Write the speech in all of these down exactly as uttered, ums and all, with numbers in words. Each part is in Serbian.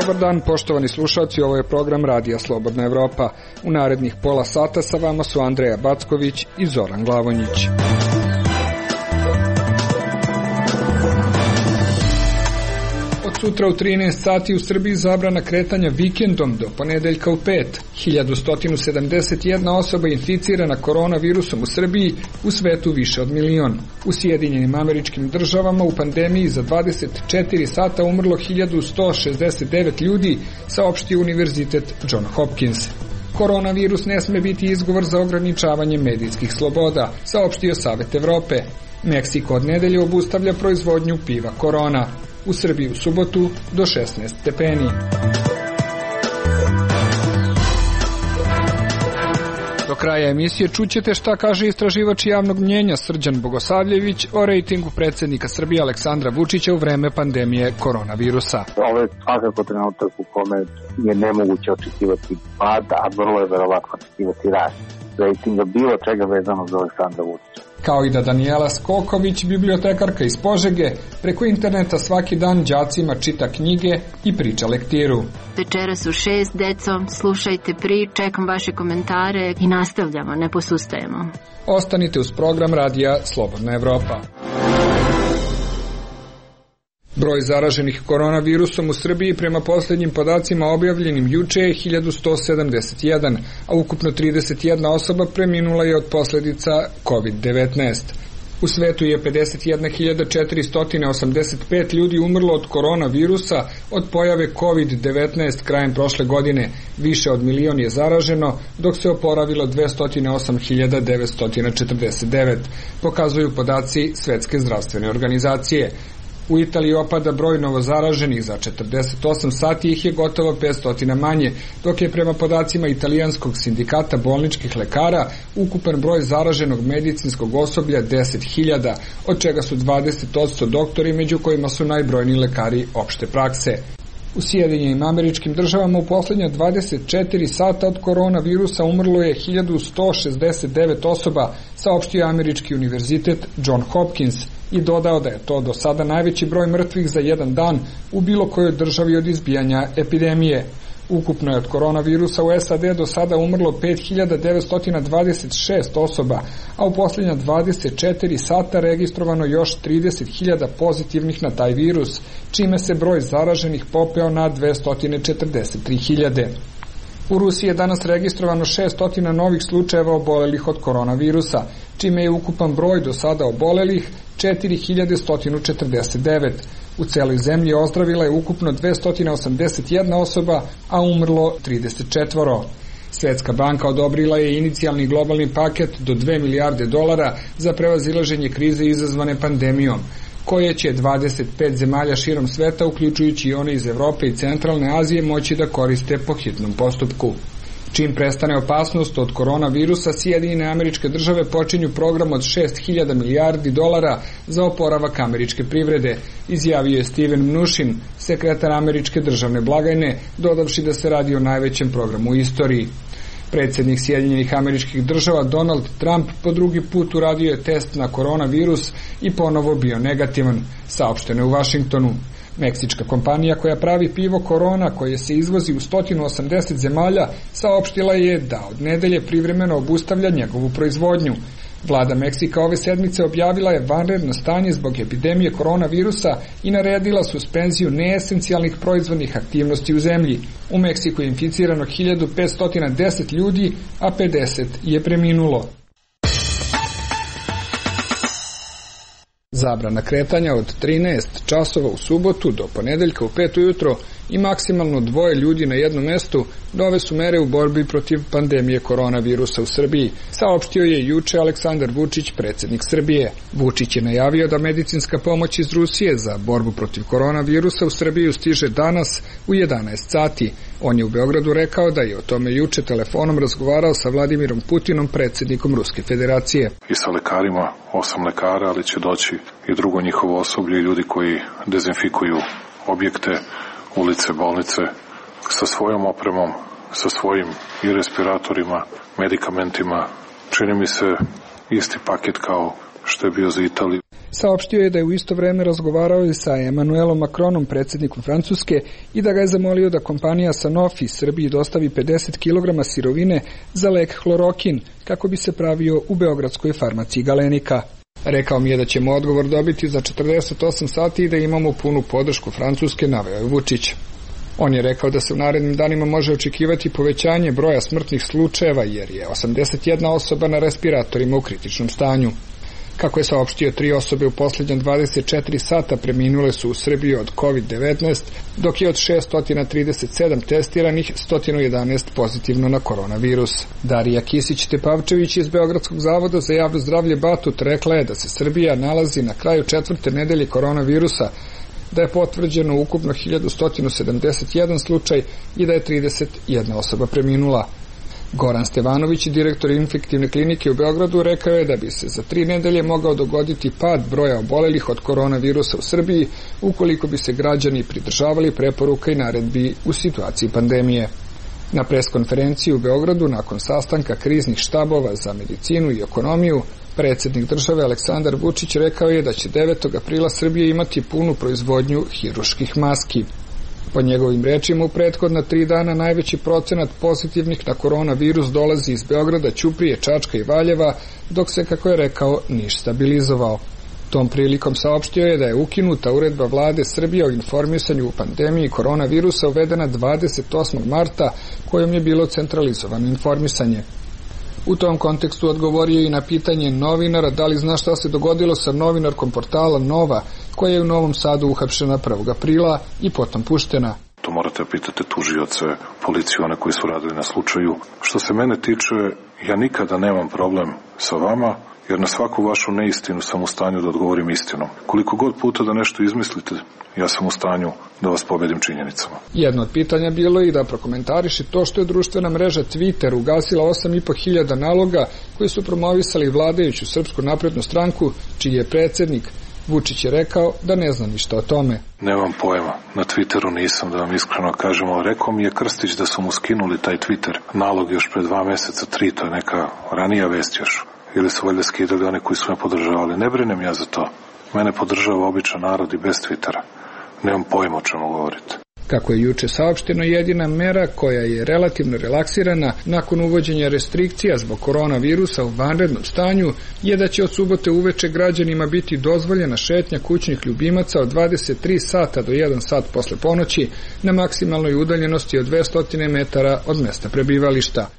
Dobar dan, poštovani slušalci, ovo je program Radija Slobodna Evropa. U narednih pola sata sa vama su Andreja Backović i Zoran Glavonjić. Od sutra u trinaest sati u Srbiji zabrana kretanja vikendom do ponedeljka u pet. hiljadu sto sedamdeset jedna osoba inficirana koronavirusom u Srbiji, u svetu više od milion. U Sjedinjenim Američkim Državama u pandemiji za dvadeset četiri sata umrlo hiljadu sto šezdeset devet ljudi, saopštio Univerzitet John Hopkins. Koronavirus ne sme biti izgovor za ograničavanje medijskih sloboda, saopštio Savet Evrope. Meksiko od nedelje obustavlja proizvodnju piva Korona. U Srbiji u subotu do šesnaest stepeni. Do kraja emisije čućete šta kaže istraživač javnog mnjenja Srđan Bogosavljević o rejtingu predsjednika Srbije Aleksandra Vučića u vreme pandemije koronavirusa. Ovo je svakako trenutak u kome je nemoguće očekivati pad, a vrlo je verovatno očekivati rast rejtinga bilo čega vezano za Aleksandra Vučića. Kao i da Danijela Skoković, bibliotekarka iz Požege, preko interneta svaki dan đacima čita knjige i priča lektiru. Večeras u šest, deco, slušajte pri, čekam vaše komentare i nastavljamo, ne posustajemo. Ostanite uz program Radija Slobodna Evropa. Broj zaraženih koronavirusom u Srbiji prema posljednjim podacima objavljenim juče je hiljadu sto sedamdeset jedan, a ukupno trideset jedna osoba preminula je od posljedica kovid devetnaest. U svetu je pedeset jedna hiljada četiristo osamdeset pet ljudi umrlo od koronavirusa od pojave kovid devetnaest krajem prošle godine. Više od milion je zaraženo, dok se oporavilo dvesta osam hiljada devetsto četrdeset devet, pokazuju podaci Svetske zdravstvene organizacije. U Italiji opada broj novozaraženih, za četrdeset osam sati ih je gotovo petsto manje, dok je prema podacima italijanskog sindikata bolničkih lekara ukupan broj zaraženog medicinskog osoblja deset hiljada, od čega su dvadeset posto doktori, među kojima su najbrojniji lekari opšte prakse. U Sjedinjenim Američkim Državama u posljednja dvadeset četiri sata od koronavirusa umrlo je hiljadu sto šezdeset devet osoba, saopštio Američki univerzitet John Hopkins, i dodao da je to do sada najveći broj mrtvih za jedan dan u bilo kojoj državi od izbijanja epidemije. Ukupno je od koronavirusa u S A D do sada umrlo pet hiljada devetsto dvadeset šest osoba, a u posljednja dvadeset četiri sata registrovano još trideset hiljada pozitivnih na taj virus, čime se broj zaraženih popeo na dvesta četrdeset tri hiljade. U Rusiji je danas registrovano šesto novih slučajeva obolelih od koronavirusa, čime je ukupan broj do sada obolelih četiri hiljade sto četrdeset devet. U celoj zemlji ozdravila je ukupno dvesta osamdeset jedna osoba, a umrlo trideset četiri. Svetska banka odobrila je inicijalni globalni paket do dve milijarde dolara za prevazilaženje krize izazvane pandemijom, koje će dvadeset pet zemalja širom sveta, uključujući i one iz Evrope i Centralne Azije, moći da koriste po hitnom postupku. Čim prestane opasnost od koronavirusa, Sjedinjene Američke Države počinju program od šest hiljada milijardi dolara za oporavak američke privrede, izjavio je Steven Mnuchin, sekretar američke državne blagajne, dodavši da se radi o najvećem programu u istoriji. Predsjednik Sjedinjenih Američkih Država Donald Trump po drugi put uradio je test na koronavirus i ponovo bio negativan, saopšteno je u Vašingtonu. Meksička kompanija koja pravi pivo Korona, koje se izvozi u sto osamdeset zemalja, saopštila je da od nedelje privremeno obustavlja njegovu proizvodnju. Vlada Meksika ove sedmice objavila je vanredno stanje zbog epidemije koronavirusa i naredila suspenziju neesencijalnih proizvodnih aktivnosti u zemlji. U Meksiku je inficirano hiljadu petsto deset ljudi, a pedeset je preminulo. Zabrana kretanja od trinaest časova u subotu do ponedeljka u pet ujutro i maksimalno dvoje ljudi na jednom mestu nove su mere u borbi protiv pandemije koronavirusa u Srbiji, saopštio je juče Aleksandar Vučić, predsjednik Srbije. Vučić je najavio da medicinska pomoć iz Rusije za borbu protiv koronavirusa u Srbiju stiže danas u jedanaest sati. On je u Beogradu rekao da je o tome juče telefonom razgovarao sa Vladimirom Putinom, predsjednikom Ruske federacije. I sa lekarima, osam lekara, ali će doći i drugo njihovo osoblje i ljudi koji dezinfikuju objekte, ulice, bolnice, sa svojom opremom, sa svojim i respiratorima, medikamentima. Čini mi se isti paket kao što je bio za Italiju. Saopštio je da je u isto vreme razgovarao i sa Emmanuelom Macronom, predsjednikom Francuske, i da ga je zamolio da kompanija Sanofi Srbiji dostavi pedeset kilograma sirovine za lek hlorokin kako bi se pravio u beogradskoj farmaciji Galenika. Rekao mi je da ćemo odgovor dobiti za četrdeset osam sati i da imamo punu podršku Francuske, naveo je Vučić. On je rekao da se u narednim danima može očekivati povećanje broja smrtnih slučajeva jer je osamdeset jedna osoba na respiratorima u kritičnom stanju. Kako je saopštio, tri osobe u posljednja dvadeset četiri sata preminule su u Srbiji od kovid devetnaest, dok je od šesto trideset sedam testiranih sto jedanaest pozitivno na koronavirus. Darija Kisić-Tepavčević iz Beogradskog zavoda za javno zdravlje Batut rekla je da se Srbija nalazi na kraju četvrte nedelje koronavirusa, da je potvrđeno ukupno hiljadu sto sedamdeset jedan slučaj i da je trideset jedna osoba preminula. Goran Stevanović, direktor infektivne klinike u Beogradu, rekao je da bi se za tri nedelje mogao dogoditi pad broja obolelih od koronavirusa u Srbiji ukoliko bi se građani pridržavali preporuka i naredbi u situaciji pandemije. Na preskonferenciji u Beogradu nakon sastanka kriznih štabova za medicinu i ekonomiju, predsjednik države Aleksandar Vučić rekao je da će devetog aprila Srbija imati punu proizvodnju hiruških maski. Po njegovim rečima, u prethodna tri dana najveći procenat pozitivnih na koronavirus dolazi iz Beograda, Ćuprije, Čačka i Valjeva, dok se, kako je rekao, Niš stabilizovao. Tom prilikom saopštio je da je ukinuta uredba vlade Srbije o informisanju u pandemiji koronavirusa uvedena dvadeset osmog marta, kojom je bilo centralizovano informisanje. U tom kontekstu odgovorio i na pitanje novinara da li zna šta se dogodilo sa novinarkom portala Nova, koja je u Novom Sadu uhapšena prvog aprila i potom puštena. To morate pitati tužioce, policiju, one koji su radili na slučaju. Što se mene tiče, ja nikada nemam problem sa vama, jer na svaku vašu neistinu sam u stanju da odgovorim istinom. Koliko god puta da nešto izmislite, ja sam u stanju da vas pobedim činjenicama. Jedno od pitanja bilo je i da prokomentariše to što je društvena mreža Twitter ugasila osam i po hiljada naloga koji su promovisali vladajuću Srpsku naprednu stranku, čiji je predsjednik. Vučić je rekao da ne zna ništa o tome. Nemam pojma, na Twitteru nisam, da vam iskreno kažem, ali rekao mi je Krstić da su mu skinuli taj Twitter nalog još pre dva meseca, tri, to je neka ranija vest još. Ili su valjda skidali one koji su me podržavali. Ne brinem ja za to. Mene podržava običan narod i bez Twittera. Nemam pojma o čemu govorite. Kako je juče saopšteno, jedina mera koja je relativno relaksirana nakon uvođenja restrikcija zbog koronavirusa u vanrednom stanju je da će od subote uveče građanima biti dozvoljena šetnja kućnih ljubimaca od dvadeset tri sata do jedan sat posle ponoći na maksimalnoj udaljenosti od dvesta metara od mesta prebivališta.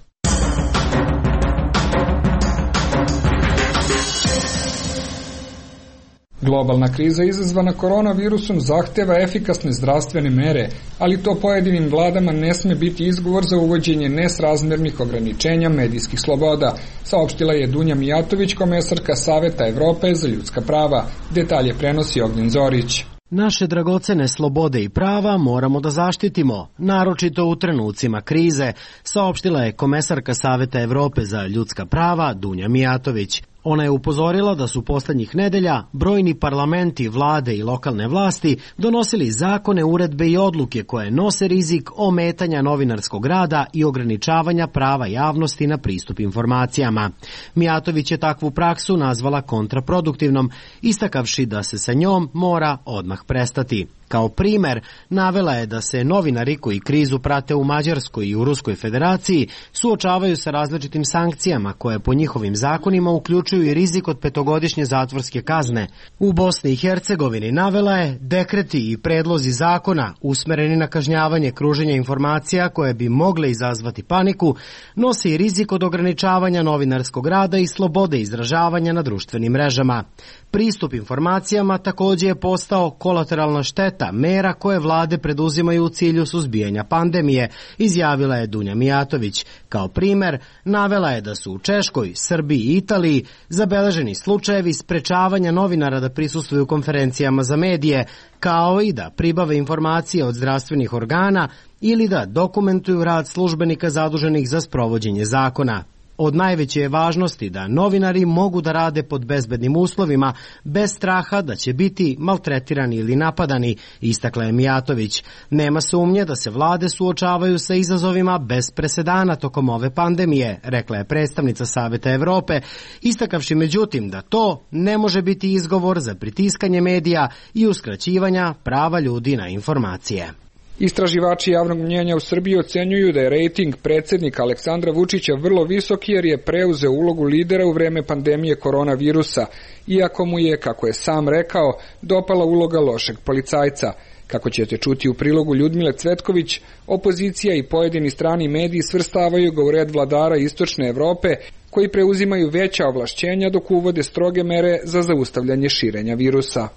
Globalna kriza izazvana koronavirusom zahteva efikasne zdravstvene mere, ali to pojedinim vladama ne sme biti izgovor za uvođenje nesrazmernih ograničenja medijskih sloboda, saopštila je Dunja Mijatović, komesarka Saveta Evrope za ljudska prava. Detalje prenosi Ognjen Zorić. Naše dragocene slobode i prava moramo da zaštitimo, naročito u trenucima krize, saopštila je komesarka Saveta Evrope za ljudska prava Dunja Mijatović. Ona je upozorila da su poslednjih nedelja brojni parlamenti, vlade i lokalne vlasti donosili zakone, uredbe i odluke koje nose rizik ometanja novinarskog rada i ograničavanja prava javnosti na pristup informacijama. Mijatović je takvu praksu nazvala kontraproduktivnom, istakavši da se sa njom mora odmah prestati. Kao primer, navela je da se novinari koji krizu prate u Mađarskoj i u Ruskoj federaciji suočavaju sa različitim sankcijama koje po njihovim zakonima uključuju i rizik od petogodišnje zatvorske kazne. U Bosni i Hercegovini navela je dekreti i predlozi zakona usmereni na kažnjavanje kruženja informacija koje bi mogle izazvati paniku, nose i rizik od ograničavanja novinarskog rada i slobode izražavanja na društvenim mrežama. Pristup informacijama takođe je postao kolateralna šteta mera koje vlade preduzimaju u cilju suzbijanja pandemije, izjavila je Dunja Mijatović. Kao primer, navela je da su u Češkoj, Srbiji i Italiji zabeleženi slučajevi sprečavanja novinara da prisustvuju konferencijama za medije, kao i da pribave informacije od zdravstvenih organa ili da dokumentuju rad službenika zaduženih za sprovođenje zakona. Od najveće je važnosti da novinari mogu da rade pod bezbednim uslovima, bez straha da će biti maltretirani ili napadani, istakla je Mijatović. Nema sumnje da se vlade suočavaju sa izazovima bez presedana tokom ove pandemije, rekla je predstavnica Saveta Evrope, istakavši međutim da to ne može biti izgovor za pritiskanje medija i uskraćivanja prava ljudi na informacije. Istraživači javnog mnjenja u Srbiji ocenjuju da je rejting predsjednika Aleksandra Vučića vrlo visok jer je preuzeo ulogu lidera u vreme pandemije koronavirusa, iako mu je, kako je sam rekao, dopala uloga lošeg policajca. Kako ćete čuti u prilogu Ljudmile Cvetković, opozicija i pojedini strani mediji svrstavaju ga u red vladara Istočne Evrope, koji preuzimaju veća ovlašćenja dok uvode stroge mere za zaustavljanje širenja virusa.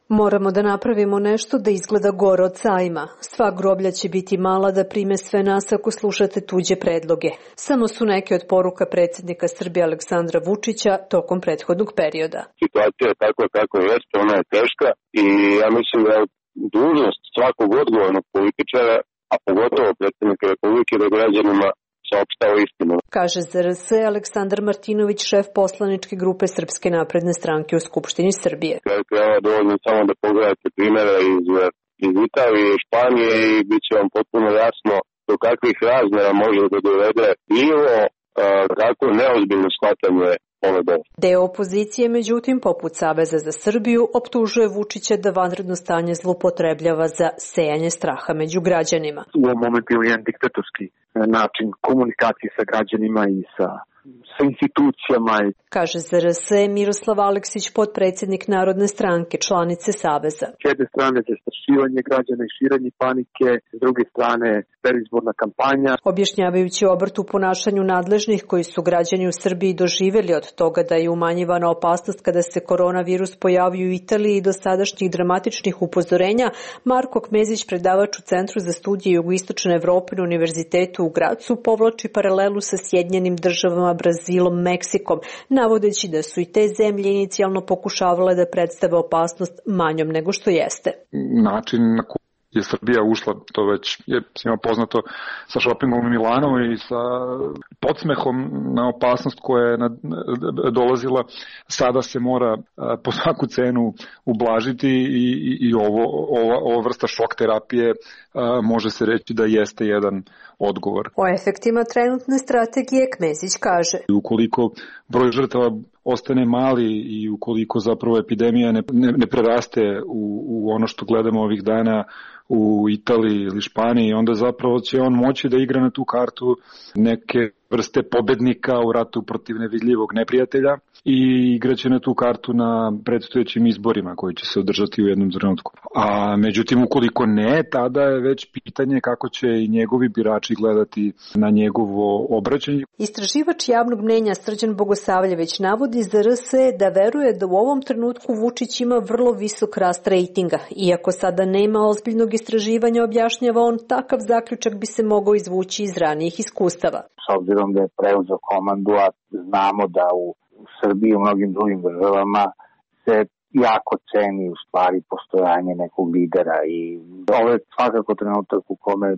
Moramo da napravimo nešto da izgleda gore od sajma. Sva groblja će biti mala da prime sve nas ako slušate tuđe predloge. Samo su neke od poruka predsjednika Srbije Aleksandra Vučića tokom prethodnog perioda. Situacija je tako kako jeste, ona je teška i ja mislim da je dužnost svakog odgovornog političara, a pogotovo predsjednika Republike, da građanima saopštava istinu. Kaže Z R S Aleksandar Martinović, šef poslaničke grupe Srpske napredne stranke u Skupštini Srbije. Treba dovoljno samo da pogledate primjere iz, iz Italije i Španije i bit će vam potpuno jasno do kakvih razmjera može da dovede nivo kako neozbiljno shvatanje ove bolesti. Deo opozicije, međutim, poput Saveza za Srbiju, optužuje Vučića da vanredno stanje zloupotrebljava za sejanje straha među građanima. U ovom momentu je jedan diktatorski način komunikacije sa građanima i sa sa institucijama. Kaže Z R S Miroslav Aleksić, potpredsjednik Narodne stranke, članice Saveza. S jedne strane zastrašivanje građana i širenje panike, s druge strane predizborna kampanja. Objašnjavajući obrt u ponašanju nadležnih koji su građani u Srbiji doživjeli od toga da je umanjivana opasnost kada se koronavirus pojavio u Italiji i do sadašnjih dramatičnih upozorenja, Marko Kmezić, predavač u Centru za studije Jugoistočne Evrope na Univerzitetu u Gracu, povlači paralelu sa Sjedinjenim državama, Brazilom, Meksikom, navodeći da su i te zemlje inicijalno pokušavale da predstave opasnost manjom nego što jeste. Način na koji je Srbija ušla, to već je svima poznato, sa šopingom u Milanu i sa podsmehom na opasnost koja je dolazila, sada se mora po svaku cenu ublažiti i, i, i ovo, ova, ova vrsta šok terapije može se reći da jeste jedan odgovor. O efektima trenutne strategije Kmezić kaže: ukoliko broj žrtava ostane mali i ukoliko zapravo epidemija ne, ne, ne preraste u, u ono što gledamo ovih dana u Italiji ili Španiji, onda zapravo će on moći da igra na tu kartu neke vrste pobednika u ratu protiv nevidljivog neprijatelja i igraće na tu kartu na predstojećim izborima koji će se održati u jednom trenutku. A međutim, ukoliko ne, tada je već pitanje kako će i njegovi birači gledati na njegovo obraćanje. Istraživač javnog mnjenja Srđan Bogosavljević navodi Z R S da veruje da u ovom trenutku Vučić ima vrlo visok rast rejtinga. Iako sada nema ozbiljnog istraživanja, objašnjava on, takav zaključak bi se mogao izvući iz ranijih iskustava. S obzirom da je preuzeo komandu, a znamo da u Srbiji i u mnogim drugim državama se jako ceni u stvari postojanje nekog lidera i ovo je svakako trenutak u kome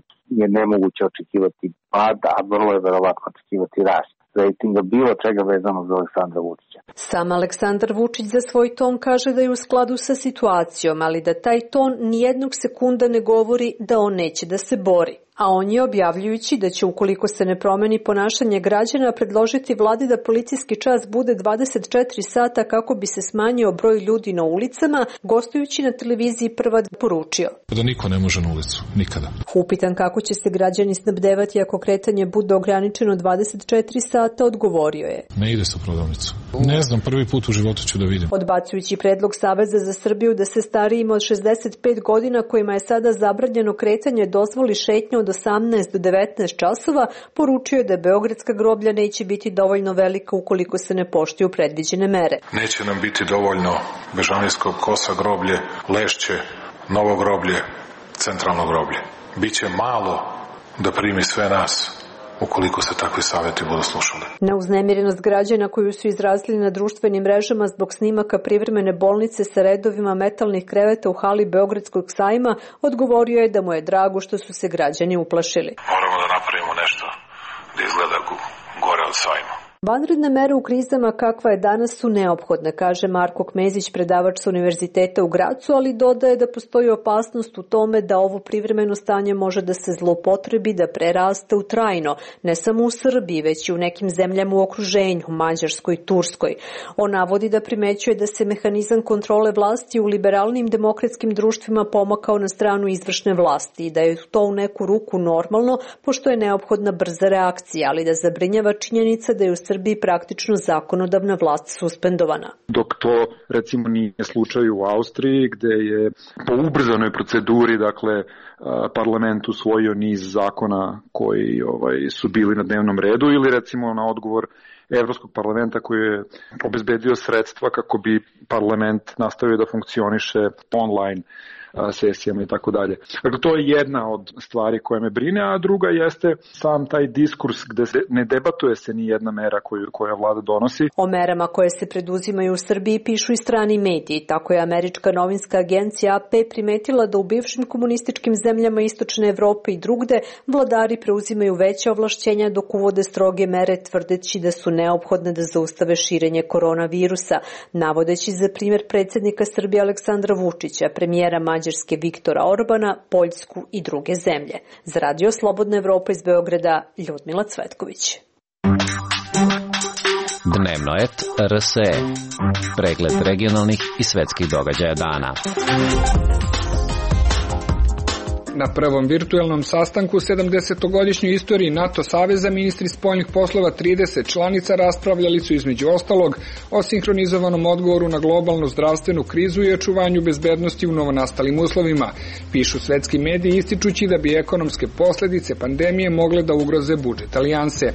je nemoguće očekivati pad, a vrlo je verovatno očekivati rast rejtinga bilo čega vezano za Aleksandra Vučića. Sam Aleksandar Vučić za svoj ton kaže da je u skladu sa situacijom, ali da taj ton nijednog sekunda ne govori da on neće da se bori. A on je, objavljujući da će, ukoliko se ne promeni ponašanje građana, predložiti vladi da policijski čas bude dvadeset četiri sata kako bi se smanjio broj ljudi na ulicama, gostujući na televiziji Prva poručio: da niko ne može na ulicu, nikada. Upitan kako će se građani snabdevati ako kretanje bude ograničeno dvadeset četiri sata, odgovorio je: ne ide se u prodavnicu. Ne znam, prvi put u životu ću da vidim. Odbacujući predlog Saveza za Srbiju da se starijima od šezdeset pet godina kojima je sada zabranjeno kretanje dozvoli šetnja od osamnaest do devetnaest časova, poručio je da beogradska groblja neće biti dovoljno velika ukoliko se ne poštuju predviđene mere. Neće nam biti dovoljno Bežanijskog kosa groblje, Lešće, Novo groblje, Centralno groblje. Biće malo da primi sve nas ukoliko se takvi savjeti budu slušali. Na uznemirenost građana koju su izrazili na društvenim mrežama zbog snimaka privremene bolnice sa redovima metalnih kreveta u hali Beogradskog sajma, odgovorio je da mu je drago što su se građani uplašili. Moramo da napravimo nešto da izgleda gore od sajma. Vanredne mere u krizama kakva je danas su neophodne, kaže Marko Kmezić, predavač sa Univerziteta u Gracu, ali dodaje da postoji opasnost u tome da ovo privremeno stanje može da se zloupotrebi, da preraste u trajno, ne samo u Srbiji, već i u nekim zemljama u okruženju, Mađarskoj i Turskoj. On navodi da primećuje da se mehanizam kontrole vlasti u liberalnim demokratskim društvima pomakao na stranu izvršne vlasti i da je to u neku ruku normalno, pošto je neophodna brza reakcija, ali da zabrinjava činjenica da je u Srbiji praktično zakonodavna vlast suspendovana. Dok to recimo nije slučaj u Austriji, gde je po ubrzanoj proceduri, dakle, parlament usvojio niz zakona koji ovaj, su bili na dnevnom redu, ili recimo na odgovor Evropskog parlamenta koji je obezbedio sredstva kako bi parlament nastavio da funkcioniše online sesijama i tako dalje. Dakle, to je jedna od stvari koja me brine, a druga jeste sam taj diskurs gde se ne debatuje se ni jedna mera koju, koja vlada donosi. O merama koje se preduzimaju u Srbiji pišu i strani mediji. Tako je američka novinska agencija A P primetila da u bivšim komunističkim zemljama Istočne Evrope i drugde vladari preuzimaju veća ovlašćenja dok uvode stroge mere, tvrdeći da su neophodne da zaustave širenje koronavirusa, navodeći za primjer predsjednika Srbije Aleksandra Vučića, premijera Mađarske Viktora Orbana, Poljsku i druge zemlje. Za Radio Slobodna Evropa iz Beograda, Ljudmila Cvetković. Dnevno et R S E. Pregled regionalnih i svetskih događaja dana. Na prvom virtuelnom sastanku u sedamdesetogodišnjoj istoriji NATO saveza ministri spoljnih poslova trideset članica raspravljali su između ostalog o sinhronizovanom odgovoru na globalnu zdravstvenu krizu i očuvanju bezbednosti u novonastalim uslovima, pišu svetski mediji ističući da bi ekonomske posledice pandemije mogle da ugroze budžet alijanse.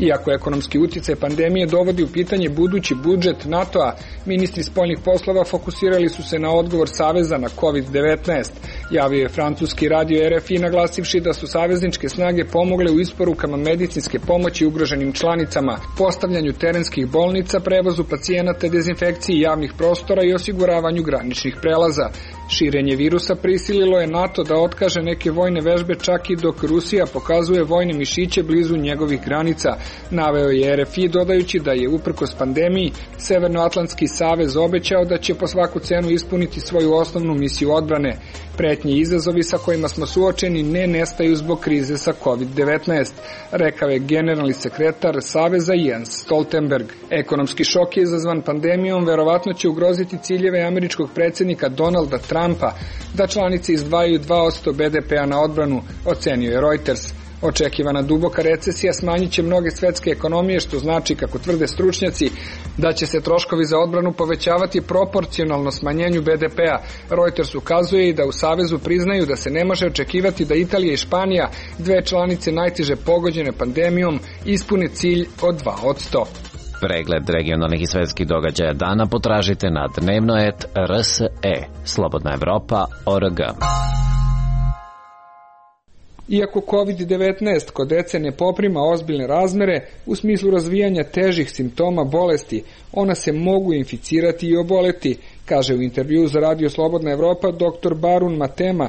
Iako ekonomski uticaj pandemije dovodi u pitanje budući budžet NATO-a, ministri spoljnih poslova fokusirali su se na odgovor saveza na kovid devetnaest, javio je francuski radio R F I naglasivši da su savezničke snage pomogle u isporukama medicinske pomoći ugroženim članicama, postavljanju terenskih bolnica, prevozu pacijenata, dezinfekciji javnih prostora i osiguravanju graničnih prelaza. Širenje virusa prisililo je NATO da otkaže neke vojne vežbe čak i dok Rusija pokazuje vojne mišiće blizu njegovih granica, naveo je R F I dodajući da je uprkos pandemiji Severnoatlantski savez obećao da će po svaku cenu ispuniti svoju osnovnu misiju odbrane. Pretnje i izazovi sa kojima smo suočeni ne nestaju zbog krize sa kovid devetnaest, rekao je generalni sekretar saveza Jens Stoltenberg. Ekonomski šok je izazvan pandemijom verovatno će ugroziti ciljeve američkog predsjednika Donalda Trumpa da članice izdvajaju dva posto B D P-a na odbranu, ocenio je Reuters. Očekivana duboka recesija smanjit će mnoge svetske ekonomije, što znači, kako tvrde stručnjaci, da će se troškovi za odbranu povećavati proporcionalno smanjenju B D P-a. Reuters ukazuje i da u Savezu priznaju da se ne može očekivati da Italija i Španija, dve članice najteže pogođene pandemijom, ispune cilj od dva posto. Pregled regionalnih i svetskih događaja dana potražite na dnevno et R S E. Slobodna Evropa O R G. Iako kovid devetnaest kod dece ne poprima ozbiljne razmere u smislu razvijanja težih simptoma bolesti, ona se mogu inficirati i oboleti, kaže u intervjuu za Radio Slobodna Evropa doktor Barun Matema,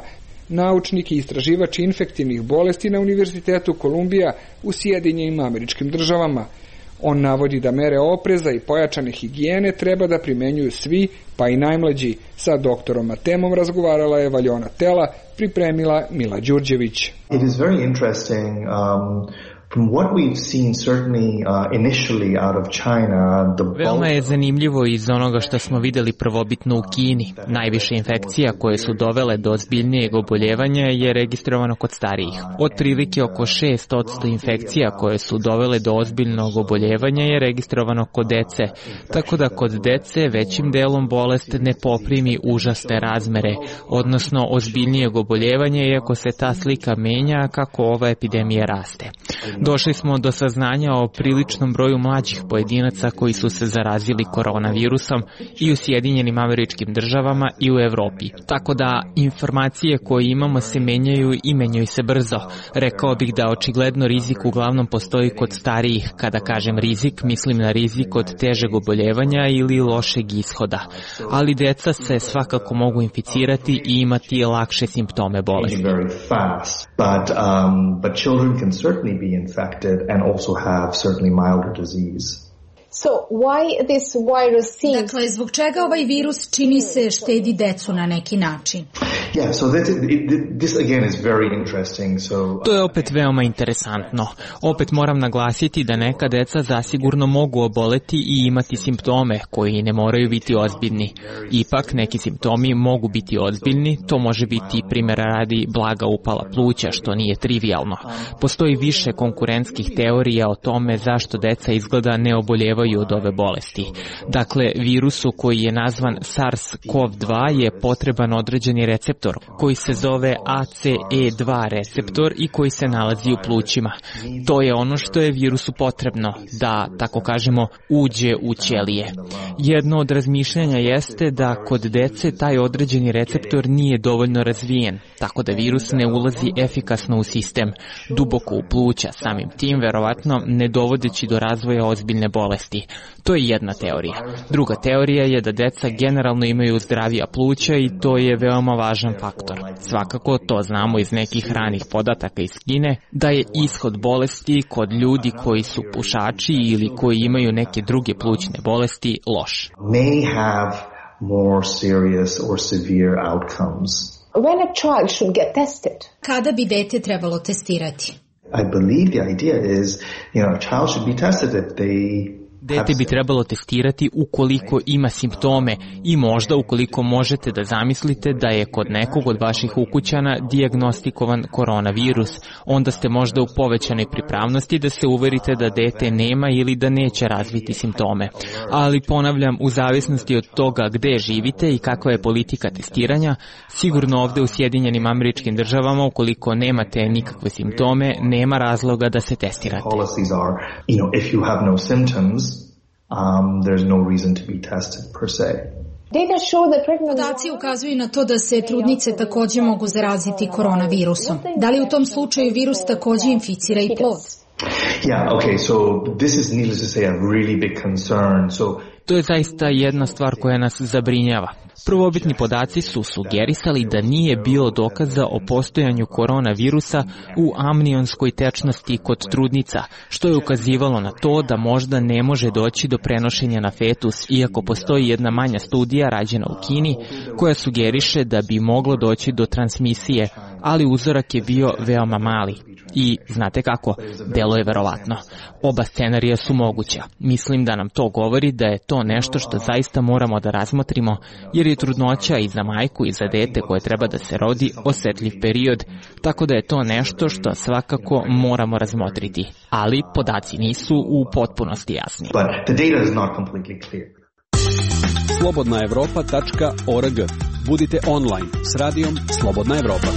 naučnik i istraživač infektivnih bolesti na Univerzitetu Kolumbija u Sjedinjenim Američkim Državama. On navodi da mere opreza i pojačane higijene treba da primenjuju svi, pa i najmlađi. Sa doktorom Matemom razgovarala je Valjona Tela, pripremila Mila Đurđević. It is very interesting um, from what we've seen certainly uh, initially out of China. The Veoma je zanimljivo iz onoga što smo videli prvobitno u Kini. Najviše infekcija koje su dovele do ozbiljnijeg oboljevanja je registrovano kod starijih. Otprilike oko šest posto infekcija koje su dovele do ozbiljnog oboljevanja je registrovano kod dece, tako da kod dece većim delom bolest ne poprimi užasne razmere, odnosno ozbiljnijeg oboljevanja, iako se ta slika menja kako ova epidemija raste. Došli smo do saznanja o priličnom broju mlađih pojedinaca koji su se zarazili koronavirusom i u Sjedinjenim Američkim Državama i u Evropi. Tako da informacije koje imamo se menjaju i menjaju se brzo. Rekao bih da očigledno rizik uglavnom postoji kod starijih. Kada kažem rizik, mislim na rizik od težeg oboljevanja ili lošeg ishoda. Ali deca se svakako mogu inficirati i imati lakše simptome bolesti. But, um, but children can certainly be be infected and also have certainly milder disease. So why this virus seems... Dakle, zbog čega ovaj virus čini se štedi decu na neki način? Yeah, so that, it, this again is very interesting. So, to je opet veoma interesantno. Opet moram naglasiti da neka deca zasigurno mogu oboleti i imati simptome koji ne moraju biti ozbiljni. Ipak neki simptomi mogu biti ozbiljni, to može biti primjera radi blaga upala pluća, što nije trivialno. Postoji više konkurentskih teorija o tome zašto deca izgleda ne oboljevaju od ove bolesti. Dakle, virusu koji je nazvan SARS-CoV dva je potreban određeni recept koji se zove A C E dva receptor i koji se nalazi u plućima. To je ono što je virusu potrebno, da, tako kažemo, uđe u ćelije. Jedno od razmišljanja jeste da kod dece taj određeni receptor nije dovoljno razvijen, tako da virus ne ulazi efikasno u sistem, duboko u pluća, samim tim verovatno ne dovodeći do razvoja ozbiljne bolesti. To je jedna teorija. Druga teorija je da deca generalno imaju zdravija pluća i to je veoma važan faktor. Svakako to znamo iz nekih ranih podataka iz Kine, da je ishod bolesti kod ljudi koji su pušači ili koji imaju neke druge plućne bolesti loš. May have more serious or severe outcomes. When a child should get tested? Kada bi dete trebalo testirati? I believe the idea is, you know, a child should be tested if they Dete bi trebalo testirati ukoliko ima simptome i možda ukoliko možete da zamislite da je kod nekog od vaših ukućana dijagnostikovan koronavirus, onda ste možda u povećanoj pripravnosti da se uverite da dete nema ili da neće razviti simptome. Ali ponavljam, u zavisnosti od toga gde živite i kakva je politika testiranja, sigurno ovde u Sjedinjenim Američkim Državama ukoliko nemate nikakve simptome, nema razloga da se testirate. Um, there's no reason to be tested per se. Podaci ukazuju na to da se trudnice takođe mogu zaraziti koronavirusom. Da li u tom slučaju virus takođe inficira i plod? Yeah, okay, so this is needless to say a really big concern. So to je zaista jedna stvar koja nas zabrinjava. Prvobitni podaci su sugerisali da nije bilo dokaza o postojanju koronavirusa u amnionskoj tečnosti kod trudnica, što je ukazivalo na to da možda ne može doći do prenošenja na fetus, iako postoji jedna manja studija rađena u Kini koja sugeriše da bi moglo doći do transmisije, ali uzorak je bio veoma mali. I znate kako, delo je verovatno. Oba scenarija su moguća. Mislim da nam to govori da je to nešto što zaista moramo da razmotrimo, jer je trudnoća i za majku i za dete koje treba da se rodi osetljiv period, tako da je to nešto što svakako moramo razmotriti. Ali podaci nisu u potpunosti jasni. slobodna evropa tačka org. Budite online s radijom Slobodna Evropa.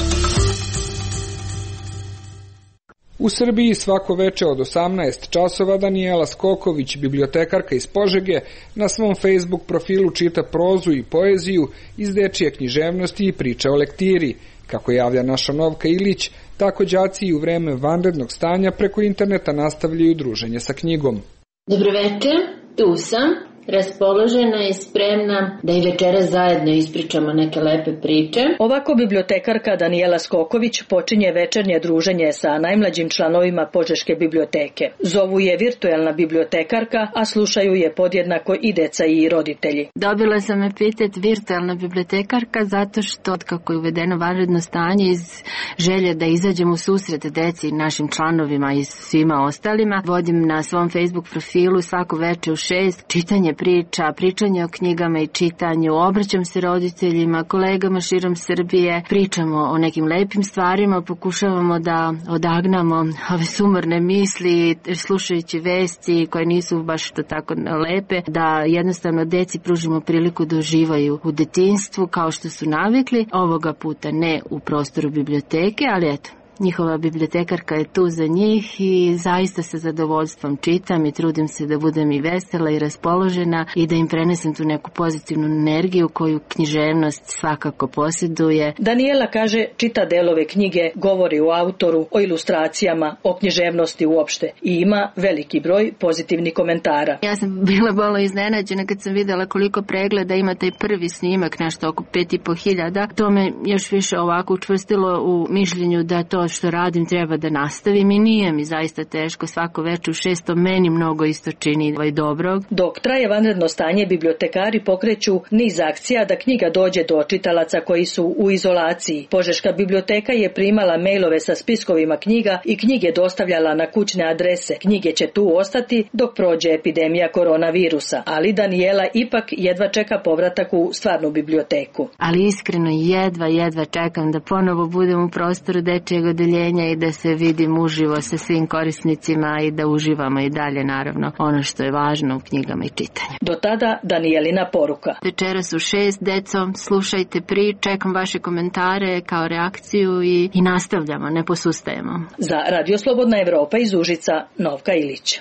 U Srbiji svako veče od osamnaest časova Danijela Skoković, bibliotekarka iz Požege, na svom Facebook profilu čita prozu i poeziju iz dečije književnosti i priča o lektiri. Kako javlja naša Novka Ilić, tako đaci i u vreme vanrednog stanja preko interneta nastavljaju druženje sa knjigom. Dobro večer, tu sam. Raspoložena i spremna da i večeras zajedno ispričamo neke lepe priče. Ovako bibliotekarka Danijela Skoković počinje večernje druženje sa najmlađim članovima Požeške biblioteke. Zovu je virtuelna bibliotekarka, a slušaju je podjednako i deca i roditelji. Dobila sam epitet virtuelna bibliotekarka zato što otkako je uvedeno vanredno stanje iz želje da izađem u susret deci, našim članovima i svima ostalima, vodim na svom Facebook profilu svako veče u šest čitanje priča, pričanje o knjigama i čitanju, obraćam se roditeljima, kolegama širom Srbije, pričamo o nekim lepim stvarima, pokušavamo da odagnamo ove sumorne misli, slušajući vesti koje nisu baš to tako lepe, da jednostavno deci pružimo priliku da uživaju u detinjstvu kao što su navikli, ovoga puta ne u prostoru biblioteke, ali eto, njihova bibliotekarka je tu za njih i zaista sa zadovoljstvom čitam i trudim se da budem i vesela i raspoložena i da im prenesem tu neku pozitivnu energiju koju književnost svakako posjeduje. Danijela kaže čita delove knjige, govori o autoru, o ilustracijama, o književnosti uopšte i ima veliki broj pozitivnih komentara. Ja sam bila malo iznenađena kad sam videla koliko pregleda ima taj prvi snimak, nešto oko pet i po hiljada. To me još više ovako učvrstilo u mišljenju da to to što radim treba da nastavim i nije mi zaista teško. Svako veče u šesto meni mnogo isto čini ovaj dobrog. Dok traje vanredno stanje, bibliotekari pokreću niz akcija da knjiga dođe do čitalaca koji su u izolaciji. Požeška biblioteka je primala mejlove sa spiskovima knjiga i knjige dostavljala na kućne adrese. Knjige će tu ostati dok prođe epidemija koronavirusa, ali Danijela ipak jedva čeka povratak u stvarnu biblioteku. Ali iskreno jedva, jedva čekam da ponovo budem u prostoru dečijeg odeljenja i da se vidim uživo sa svim korisnicima i da uživamo i dalje, naravno, ono što je važno u knjigama i čitanju. Do tada Danijelina poruka. Večeras u šest, deco, slušajte prič, čekam vaše komentare kao reakciju i, i nastavljamo, ne posustajemo. Za Radio Slobodna Evropa iz Užica, Novka Ilić.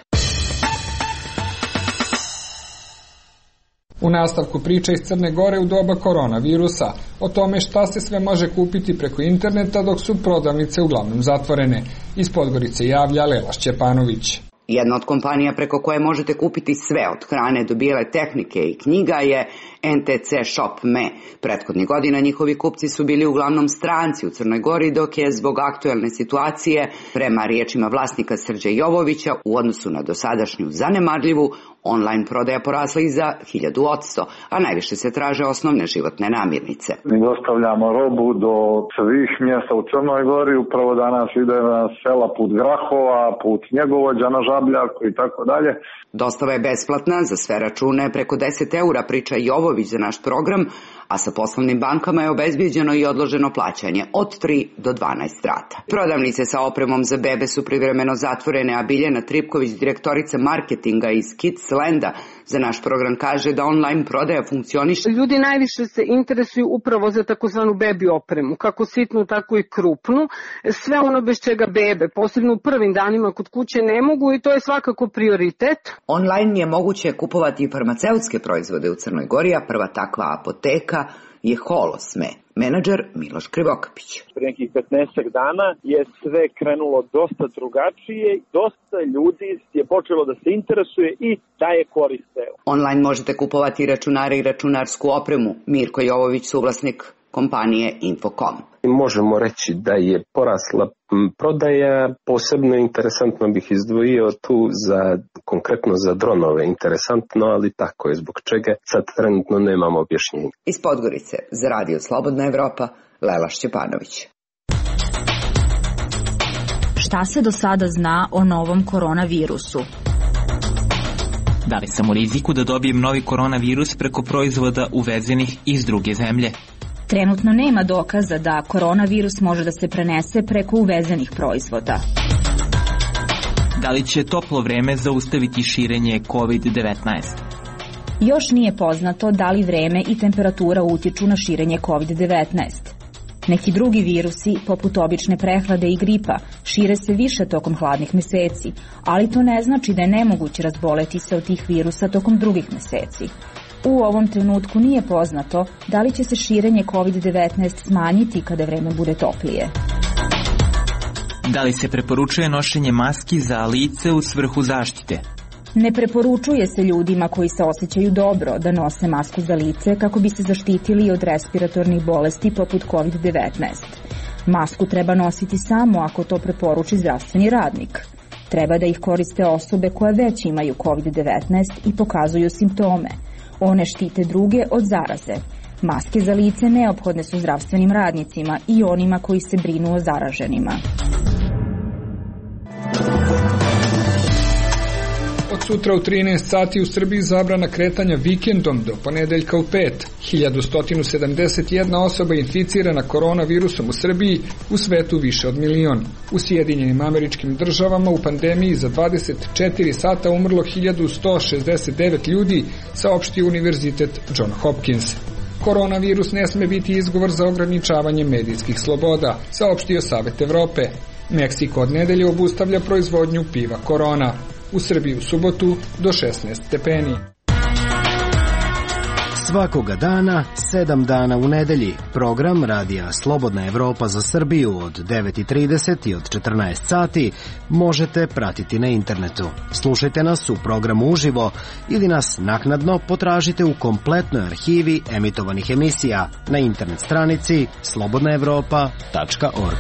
U nastavku priča iz Crne Gore u doba koronavirusa o tome šta se sve može kupiti preko interneta dok su prodavnice uglavnom zatvorene. Iz Podgorice javlja Lela Šćepanović. Jedna od kompanija preko koje možete kupiti sve od hrane do bijele tehnike i knjiga je en te ce Shop punto me. Prethodnih godina njihovi kupci su bili uglavnom stranci u Crnoj Gori, dok je zbog aktuelne situacije, prema riječima vlasnika Srđa Jovovića, u odnosu na dosadašnju zanemarljivu, online prodaja porasla i za hiljadu odsto, a najviše se traže osnovne životne namirnice. Mi dostavljamo robu do svih mjesta u Crnoj Gori, upravo danas ide na sela put Grahova, put Njegovođa na Žabljaku i tako dalje. Dostava je besplatna za sve račune preko deset eura, priča Jovović za naš program, a sa poslovnim bankama je obezbijeđeno i odloženo plaćanje od tri do dvanaest rata. Prodavnice sa opremom za bebe su privremeno zatvorene, a Biljana Tripković, direktorica marketinga iz Kidslanda, za naš program kaže da online prodaja funkcioniše. Ljudi najviše se interesuju upravo za takozvanu bebi opremu, kako sitnu, tako i krupnu. Sve ono bez čega bebe, posebno u prvim danima kod kuće, ne mogu i to je svakako prioritet. Online je moguće kupovati i farmaceutske proizvode u Crnoj Gori, a prva takva apoteka je Holosme. Menadžer Miloš Krivokapić. Pre nekih petnaestak dana je sve krenulo dosta drugačije, dosta ljudi je počelo da se interesuje i da je koriste. Online možete kupovati računare i računarsku opremu. Mirko Jovović, suvlasnik kompanije Infocom. Možemo reći da je porasla prodaja, posebno interesantno bih izdvojio tu za, konkretno za dronove, interesantno, ali tako je, zbog čega sad trenutno nemamo objašnjenja. Iz Podgorice, za Radio Slobodna Evropa, Lela Šćepanović. Šta se do sada zna o novom koronavirusu? Da li sam u riziku da dobijem novi koronavirus preko proizvoda uvezenih iz druge zemlje? Trenutno nema dokaza da koronavirus može da se prenese preko uvezenih proizvoda. Da li će toplo vreme zaustaviti širenje kovid devetnaest? Još nije poznato da li vreme i temperatura utiču na širenje kovid devetnaest. Neki drugi virusi, poput obične prehlade i gripa, šire se više tokom hladnih meseci, ali to ne znači da je nemoguće razboleti se od tih virusa tokom drugih meseci. U ovom trenutku nije poznato da li će se širenje kovid devetnaest smanjiti kada vreme bude toplije. Da li se preporučuje nošenje maski za lice u svrhu zaštite? Ne preporučuje se ljudima koji se osjećaju dobro da nose masku za lice kako bi se zaštitili od respiratornih bolesti poput kovid devetnaest. Masku treba nositi samo ako to preporuči zdravstveni radnik. Treba da ih koriste osobe koje već imaju kovid devetnaest i pokazuju simptome. One štite druge od zaraze. Maske za lice neophodne su zdravstvenim radnicima i onima koji se brinu o zaraženima. Od sutra u trinaest sati u Srbiji zabrana kretanja vikendom do ponedeljka u pet. hiljadu sto sedamdeset jedna osoba inficirana koronavirusom u Srbiji, u svetu više od milion. U Sjedinjenim Američkim Državama u pandemiji za dvadeset četiri sata umrlo hiljadu sto šezdeset devet ljudi, saopštio Univerzitet John Hopkins. Koronavirus ne sme biti izgovor za ograničavanje medijskih sloboda, saopštio Savet Evrope. Meksiko od nedelje obustavlja proizvodnju piva Korona. U Srbiji u subotu do šesnaest stepeni. Svakoga dana, sedam dana u nedelji, program Radija Slobodna Evropa za Srbiju od devet i trideset i od četrnaest sati možete pratiti na internetu. Slušajte nas u programu uživo ili nas naknadno potražite u kompletnoj arhivi emitovanih emisija na internet stranici slobodna evropa tačka org.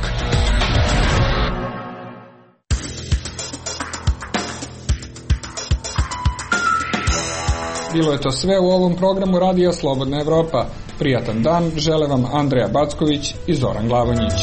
Bilo je to sve u ovom programu Radija Slobodna Evropa. Prijatan dan, žele vam Andreja Backović i Zoran Glavonjić.